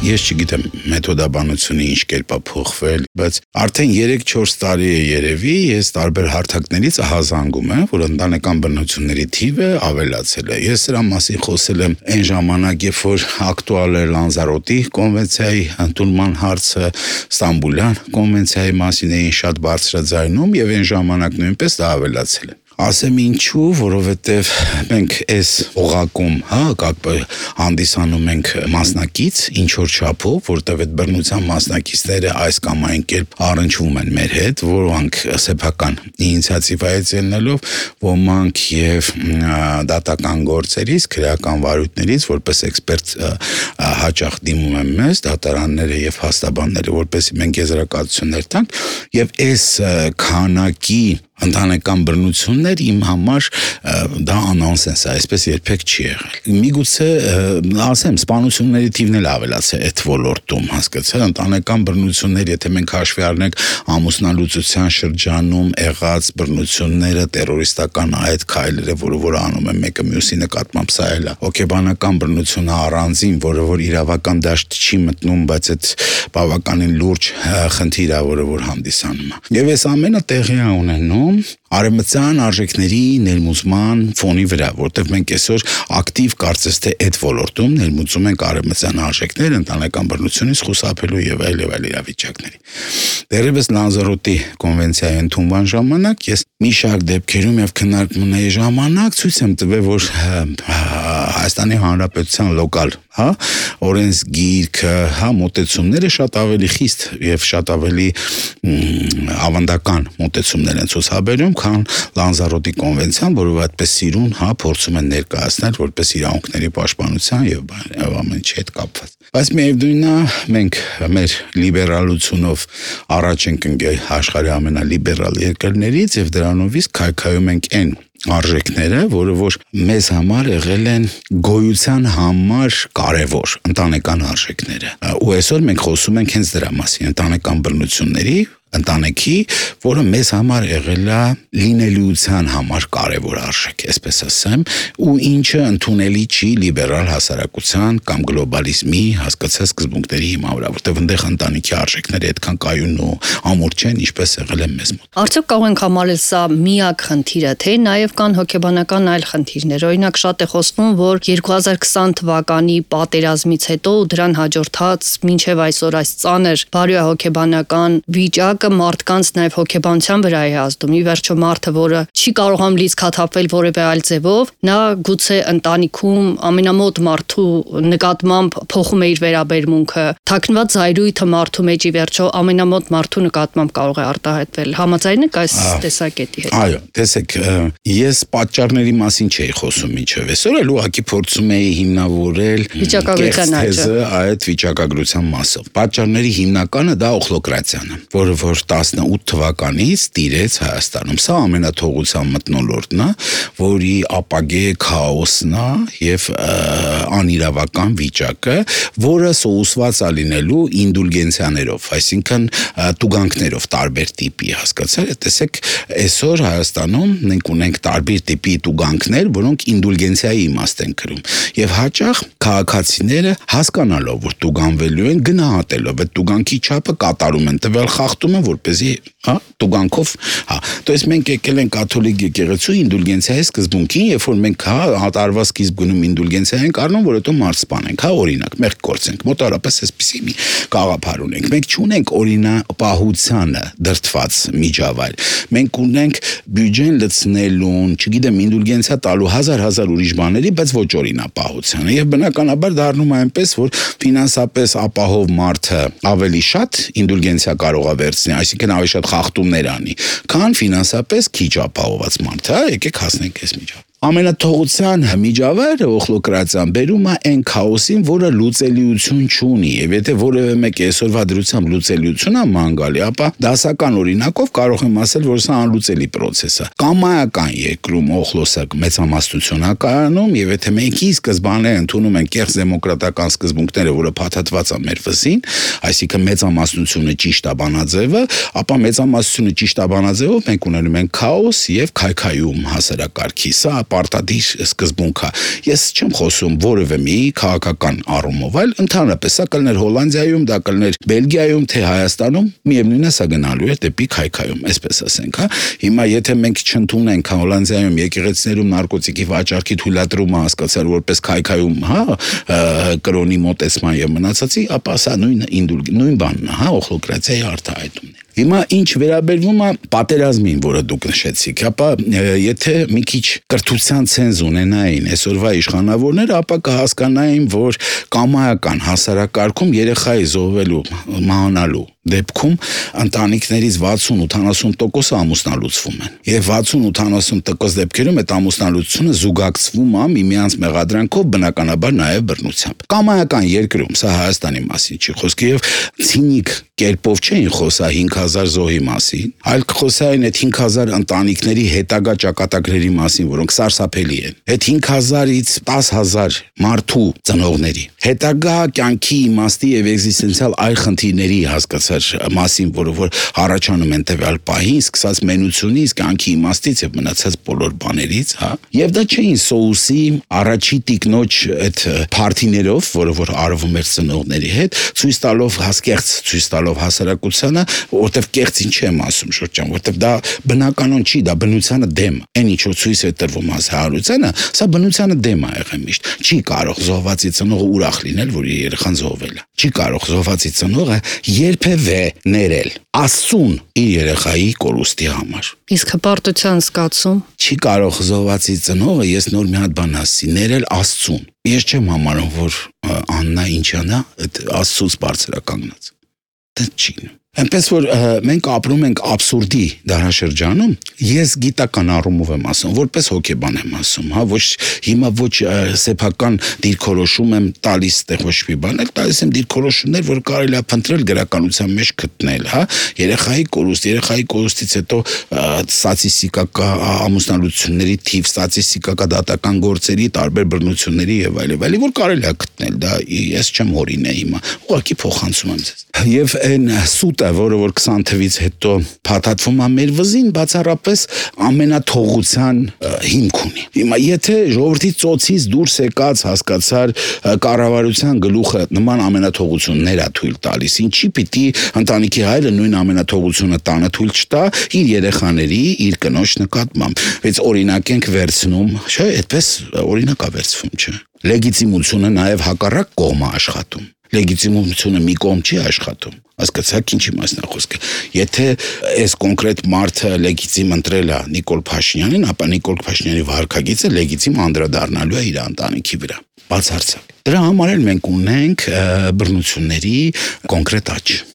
Ես չգիտեմ մեթոդաբանությունը ինչ կերպ է փոխվել, բայց արդեն 3-4 տարի է երևի, ես տարբեր հարթակներից ահազանգում եմ, որ ընտանեկան բռնությունների թիվը ավելացել է։ Ես սրա մասին խոսել եմ այն ժամանակ, երբ որ ակտուալ էր Լանզարոտի կոնվենցիայի ընդունման հարցը, Ստամբուլյան կոնվենցիայի մասին էին շատ բարձրաձայնում եւ այն ժամանակ նույնպես դա ավելացել է։ Ասեմ ինչու, որովհետև մենք այս օղակում, հանդիսանում ենք մասնակից, ինչ որ չափով, որտեղ այդ բռնության մասնակիցները այս կամ այն կերպ առնչվում են մեր հետ, որոնք սեփական ինիցիատիվայից ելնելով, ոմանք եւ դատական գործերից, քրեական վարույթներից, որպես էքսպերտ հաճախ դիմում են մեզ, դատարանները եւ հաստաբանները, որպեսզի մենք եզրակացություններ տանք, եւ այս քանակի ընտանեկան բռնություններ իմ համար դա անոնսենս է, այսպես երբեք չի եղել։ Միգուցե ասեմ, սպանությունների թիվն էլ ավելացել է այդ ոլորտում, հասկացա՞լ, ընտանեկան բռնություններ, եթե մենք հաշվի առնենք ամուսնալուծության շրջանում եղած բռնությունները, տերորիստական այդ քայլերը, որ անում են մեկը մյուսի նկատմամբ, սա էլ է հոգեբանական բռնությունը առանձին, որը որ իրավական դաշտ չի մտնում, բայց այդ բավականին լուրջ խնդիր է, որ հանդիսանում է։ Եվ այս ամենը տեղի է ունենում արևմտյան արժեքների ներմուծման ֆոնի վրա, որտեղ մենք այսօր ակտիվ կարծես թե այդ ոլորտում ներմուծում ենք արևմտյան արժեքներ ընտանեկան բռնությունից խուսափելու եւ այլ իրավիճակների։ Դեռևս Լանզարոտի կոնվենցիայի ընդունման ժամանակ ես մի շարք դեպքերում եւ քննարկումների ժամանակ ցույց եմ տվել, որ Հայաստանի Հանրապետության լոկալ, օրենսգիրքը, մոտեցումները շատ ավելի խիստ եւ շատ ավելի ավանդական մոտեցումներ են ցուցաբերում, քան Լանզարոտի կոնվենցիան, որը այդպես սիրուն, փորձում են ներկայացնել որպես իրավունքների պաշտպանության եւ ամեն ինչի հետ կապված։ Բայց միևնույնն է, մենք մեր լիբերալությունով առաջ ենք ընկել աշխարհի ամենալիբերալ երկրներից եւ դրանով իսկ քայքայում ենք այն արժեքները, որը որ մեզ համար եղել են գոյության համար կարևոր ընտանեկան արժեքները։ Ու այսօր մենք խոսում ենք հենց դրա մասին, ընտանեկան բռնությունների, ընտանեկի, որը մեզ համար եղել է լինելիության համար կարևոր արժեք, այսպես ասեմ, ու ինչը ընդունելի չի լիբերալ հասարակության կամ գլոբալիզմի հասկացած սկզբունքների հիման վրա, որտեղ այնտեղ ընտանիքի արժեքները այդքան կայուն ու ամուր չեն, ինչպես եղել են մեզ մոտ։ Արդյոք կարող ենք համարել սա միակ խնդիրը, թե նաև կան հոգեբանական այլ խնդիրներ։ Օրինակ շատ է խոսվում, որ 2020 թվականի պատերազմից հետո դրան հաջորդած մինչև այսօր այս ծանր բարոյահոգեբանական վիճակը մարդկանց նաև հոգեբանության վրա է ազդում։ Ի վերջո մարդը, որը չի կարողանում լիցքաթափվել որևէ այլ ձևով, նա գուցե ընտանիքում ամենամոտ մարդու նկատմամբ փոխում է իր վերաբերմունքը, թաքնված զայրույթը մարդու մեջ ի վերջո ամենամոտ մարդու նկատմամբ կարող է արտահայտվել։ Համաձայն եք այս տեսակետի հետ։ Այո, տեսեք, ես պատճառների մասին չէի խոսում մինչև այսօր, էլ ուղղակի փորձում էի հիմնավորել վիճակագրության թեզը այդ վիճակագրության մասով։ Պատճառների հիմնականը դա օխլոկրատիան է, որը որ 18 թվականից տիրեց Հայաստանում։ Սա ամենաթողության մթնոլորտն է, որի ապագե քաոսն է եւ անիրավական վիճակը, որը սոուսված է լինելու ինդուլգենցիաներով, այսինքն տուգանքներով տարբեր տիպի, հասկացա՞լ։ Տեսեք, այսօր Հայաստանում մենք ունենք տարբեր տիպի տուգանքներ, որոնք ինդուլգենցիայի իմաստ են կրում։ Եվ հաճախ քաղաքացիները հասկանալով, որ տուգանվելու են, գնահատելով այդ տուգանքի չափը կատարում են, տվյալ խախտում են, որպեսզի տուգանքով, То есть մենք եկել ենք կաթոլիկ եկեղեցու ինդուլգենցիայի սկզբունքին, երբ որ մենք տարվա սկիզբում ինդուլգենցիա ենք առնում, որ հետո մարդ սպանենք, օրինակ, մեղք կորցենք, մոտարապես այսպեսի մի գաղափար ունենք։ Մենք չունենք օրինապահությանը դրդված միջավայր։ Մենք ունենք բյուջեն լցնելուն, չգիտեմ, ինդուլգենցիա տալու հազար ուրիշ բաների, բայց ոչ օրինապահությանը։ Եվ բնականաբար դառնում է այնպես, որ ֆինանսապես ապահով մարդը ավելի շատ ինդուլգենցիա կարող է վերցնել, այսինքն ավելի շատ խախտումներ անի, քան ֆինանսապես քիչ ապահոված մարդը, եկեք հասնենք այս միջավայր։ Ամենաթողության միջավայրը օխլոկրատիան բերում է այն քաոսին, որը լուծելիություն չունի, եւ եթե որևէ մեկը այսօրվա դրությամբ լուծելիություն է ման գալի, ապա դասական օրինակով կարող եմ ասել, որ սա անլուծելի process է։ Կամայական երկրում օխլոսը մեծամասնություն է կայանում, եւ եթե մենք ի սկզբանե ընդունում ենք կեղծ դեմոկրատական սկզբունքները, որը փաթաթված է մեր վզին, այսինքն մեծամասնությունը ճիշտ է բանաձևը, ապա մեծամասնությունը ճիշտ է բանաձևով մենք ունենում ենք քաոս եւ քայքայում հասարակարգի։ Սա պարտադիր սկզբունք է։ Ես չեմ խոսում որևէ մի քաղաքական առումով, այլ ընդհանրապես սա կլներ Հոլանդիայում, դա կլներ Բելգիայում, թե Հայաստանում, միևնույնն է սա գնալու է դեպի քայքայում, այսպես ասենք, հա։ Հիմա եթե մենք չընդունենք Հոլանդիայում եկեղեցիներում նարկոտիկի վաճառքի թույլատրումը հասկացար որպես քայքայում, հա, կրոնի մոտեցման եւ մնացածի, ապա սա նույն բանն է, հա, օխլոկրատիայի արտահայտումն է։ Հիմա ինչ վերաբերվում է պատերազմին, որը դուք նշեցիք, ապա եթե մի քիչ կրթության ցենզ ունենային այսօրվա իշխանավորները, ապա կհասկանային, որ կամայական հասարակարգում երեխայի զոհվելու, մահանալու դեպքում ընտանիքներից 60-80% ամուսնալուծվում են։ Եվ 60-80% դեպքերում այդ ամուսնալուծությունը զուգակցվում է միմյանց մեղադրանքով, բնականաբար նաև բռնությամբ։ Կամայական երկրում, սա Հայաստանի մասին չի խոսքի, եւ ցինիկ կերպով չէին խոսա 5000 զոհի մասին, այլ խոսային այդ 5000 ընտանիքների հետագա ճակատագրերի մասին, որոնք սարսափելի են։ Այդ 5000-ից 10000 մարդու ծնողների հետագա կյանքի իմաստի եւ էգզիստենցիալ այլ խնդիրների հասկացած մասին, որը առաջանում են տվյալ պահին, սկսած մենությունից, կյանքի իմաստից եւ մնացած բոլոր բաներից, հա։ Եվ դա չէին սոուսի առաջի տիկնոջ այդ փարթիներով, որը արվում էր ծնողների հետ, ցույց տալով հասկերց, ցույց տալով հասարակությանը, որտեվ կեղծին չեմ ասում շրջան, որտեվ դա բնականon չի, դա բնությանը դեմ է։ Այն ինչով ցույց է տրվում հասարակությանը, սա բնությանը դեմ է եղել միշտ։ Չի կարող զոհվածի ծնողը ուրախ լինել, որ իր երեխան զոհվել է։ Չի կարող զոհվածի ծնողը երբևէ ներել Աստծուն իր երեխայի կորուստի համար։ Իսկ հպարտության զգացում չի կարող զոհվածի ծնողը, ես նոր մի հատ բան ասի, ներել Աստծուն։ Ես չեմ համարում, որ Աննա ինչանա այդ Աստծուց բարձրականգնած։ Դա չի։ Այնպես որ մենք ապրում ենք աբսուրդի դարաշրջանում, ես գիտական առումով եմ ասում, որպես հոգեբան եմ ասում, հա, ոչ հիմա ոչ սեփական դիրքորոշում եմ տալիս տեղ ոչ մի բան, այլ տալիս եմ դիրքորոշումներ, որ կարելի է փնտրել գրականության մեջ գտնել, հա, երեխայի կորուստից հետո ստատիստիկա ամուսնալուծությունների թիվ, ստատիստիկա դատական գործերի տարբեր բռնությունների եւ այլն, որ կարելի է գտնել, դա ես չեմ հորինել հիմա, ուղղակի փոխանցում եմ ձեզ։ Եվ այն սուտը, որը որ 20 թվից հետո փաթաթվում է մեր վզին, բացառապես ամենաթողության հիմք ունի։ Հիմա եթե ժողովրդի ծոցից դուրս եկած հասկացար կառավարության գլուխը նման ամենաթողություններ է թույլ տալիս, ինչի պիտի ընտանիքի հայրը նույն ամենաթողությունը տանը թույլ չտա իր երեխաների, իր կնոջ նկատմամբ։ Բայց օրինակ ենք վերցնում, չէ, այդպես օրինակ է վերցվում, չէ։ Լեգիտիմությունը նաև հակառակ կողմը աշխատում։ Լեգիտիմությունը մի կողմ չի աշխատում։ Հասկացաք ինչի մասն է խոսքը։ Եթե այս կոնկրետ մարդը լեգիտիմ ընտրել է Նիկոլ Փաշինյանին, ապա Նիկոլ Փաշինյանի վարքագիծը լեգիտիմ անդրադառնալու է իր ընտանիքի վրա։ Բացարձակ։ Դրա համար էլ մենք ունենք բռնությունների կոնկրետ աճ։